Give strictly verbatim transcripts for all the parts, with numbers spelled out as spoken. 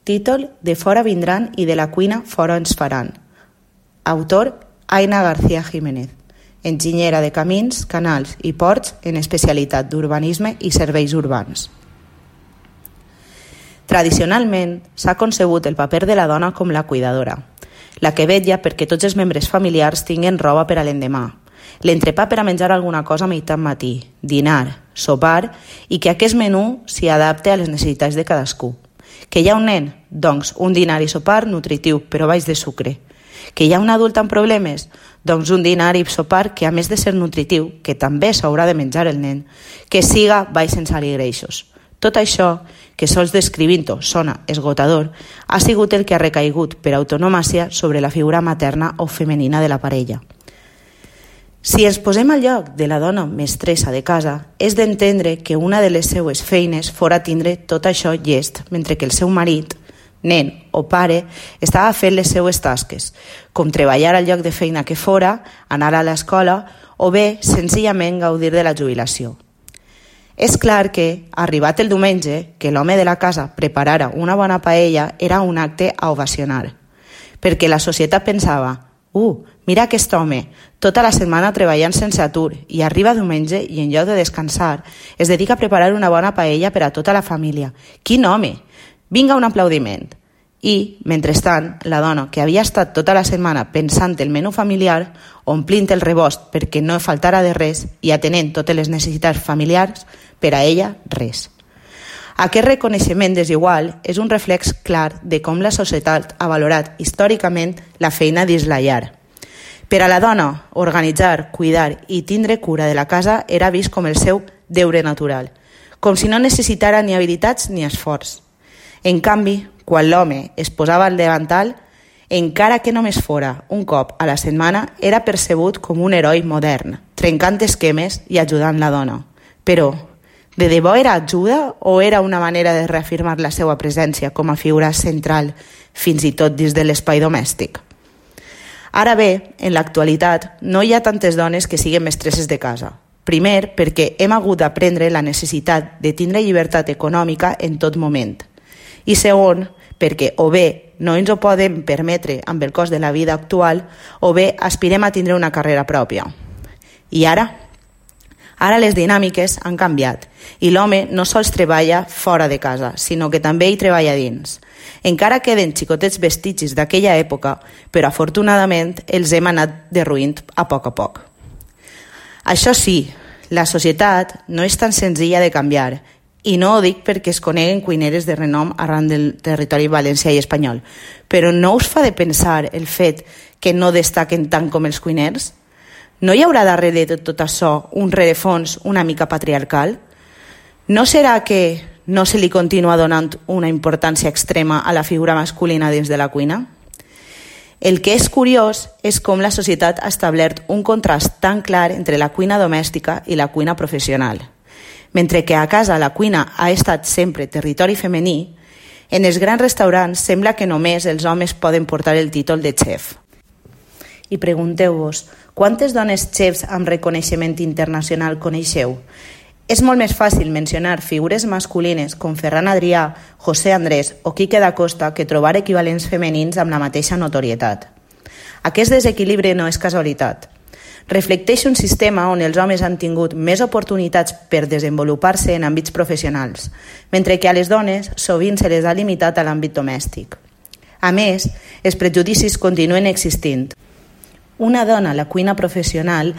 Títol De fora vindran i de la cuina fora ens faran. Autor Aina García Jiménez, enginyera de camins, canals i ports en especialitat d'urbanisme i serveis urbans. Tradicionalment s'ha concebut el paper de la dona com la cuidadora, la que vetlla perquè tots els membres familiars tinguin roba per a l'endemà, l'entrepà per a menjar alguna cosa a meitat matí, dinar, sopar i que aquest menú s'hi adapte a les necessitats de cadascú. Que hi ha un nen? Doncs un dinar i sopar nutritiu però baix de sucre. Que hi ha un adult amb problemes? Doncs un dinar i sopar que a més de ser nutritiu, que també s'haurà de menjar el nen, que siga baix en sal i greixos. Tot això, que sols descrivint-ho sona esgotador, ha sigut el que ha recaigut per autonomàcia sobre la figura materna o femenina de la parella. Si ens posem al lloc de la dona mestressa de casa, és d'entendre que una de les seues feines fora tindre tot això llest, mentre que el seu marit, nen o pare, estava fent les seues tasques, com treballar al lloc de feina que fora, anar a l'escola o bé, senzillament, gaudir de la jubilació. És clar que, arribat el diumenge, que l'home de la casa preparara una bona paella era un acte a ovacionar, perquè la societat pensava «Uh, mira aquest home, tota la setmana treballant sense atur i arriba diumenge i en lloc de descansar es dedica a preparar una bona paella per a tota la família. Quin home! Vinga un aplaudiment!» I, mentrestant, la dona, que havia estat tota la setmana pensant el menú familiar, omplint el rebost perquè no faltara de res i atenent totes les necessitats familiars, per a ella, res. Aquest reconeixement desigual és un reflex clar de com la societat ha valorat històricament la feina dins la llar. Per a la dona, organitzar, cuidar i tindre cura de la casa era vist com el seu deure natural, com si no necessitara ni habilitats ni esforç. En canvi, quan l'home es posava al davantal, encara que només fora un cop a la setmana, era percebut com un heroi modern, trencant esquemes i ajudant la dona. Però, de debò era ajuda o era una manera de reafirmar la seva presència com a figura central, fins i tot dins de l'espai domèstic? Ara bé, en l'actualitat, no hi ha tantes dones que siguin mestresses de casa. Primer, perquè hem hagut d'aprendre la necessitat de tindre llibertat econòmica en tot moment. I segon, perquè o bé no ens ho podem permetre amb el cost de la vida actual o bé aspirem a tindre una carrera pròpia. I ara? Ara les dinàmiques han canviat i l'home no sols treballa fora de casa, sinó que també hi treballa dins. Encara queden xicotets vestigis d'aquella època, però afortunadament els hem anat derruint a poc a poc. Això sí, la societat no és tan senzilla de canviar, i no ho dic perquè es coneguen cuineres de renom arran del territori valencià i espanyol, però no us fa de pensar el fet que no destaquen tant com els cuiners? No hi haurà darrere de tot això un rerefons una mica patriarcal? No serà que no se li continua donant una importància extrema a la figura masculina dins de la cuina? El que és curiós és com la societat ha establert un contrast tan clar entre la cuina domèstica i la cuina professional. Mentre que a casa la cuina ha estat sempre territori femení, en els grans restaurants sembla que només els homes poden portar el títol de xef. I pregunteu-vos, quantes dones xefs amb reconeixement internacional coneixeu? És molt més fàcil mencionar figures masculines com Ferran Adrià, José Andrés o Quique da Costa que trobar equivalents femenins amb la mateixa notorietat. Aquest desequilibri no és casualitat. Reflecteix un sistema on els homes han tingut més oportunitats per desenvolupar-se en àmbits professionals, mentre que a les dones sovint se les ha limitat a l'àmbit domèstic. A més, els prejudicis continuen existint. Una dona a la cuina professional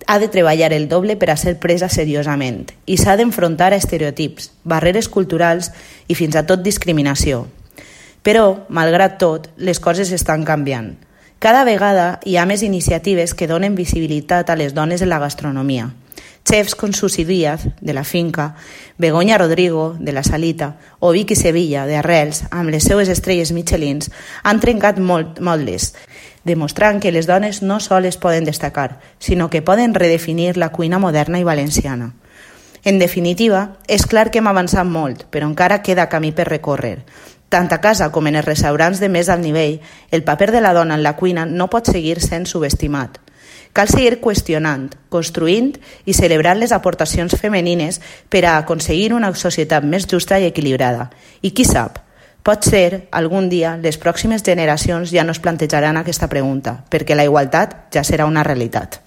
ha de treballar el doble per a ser presa seriosament i s'ha d'enfrontar a estereotips, barreres culturals i fins a tot discriminació. Però, malgrat tot, les coses estan canviant. Cada vegada hi ha més iniciatives que donen visibilitat a les dones en la gastronomia. Chefs com Susi Díaz, de la Finca, Begoña Rodrigo, de la Salita, o Vicky Sevilla, de Arrels, amb les seues estrelles Michelins, han trencat molt moldes, demostrant que les dones no soles poden destacar, sinó que poden redefinir la cuina moderna i valenciana. En definitiva, és clar que hem avançat molt, però encara queda camí per recórrer. Tant a casa com en els restaurants de més alt nivell, el paper de la dona en la cuina no pot seguir sent subestimat. Cal seguir qüestionant, construint i celebrant les aportacions femenines per a aconseguir una societat més justa i equilibrada. I qui sap, Potser, algun dia, les pròximes generacions ja no es plantejaran aquesta pregunta, perquè la igualtat ja serà una realitat.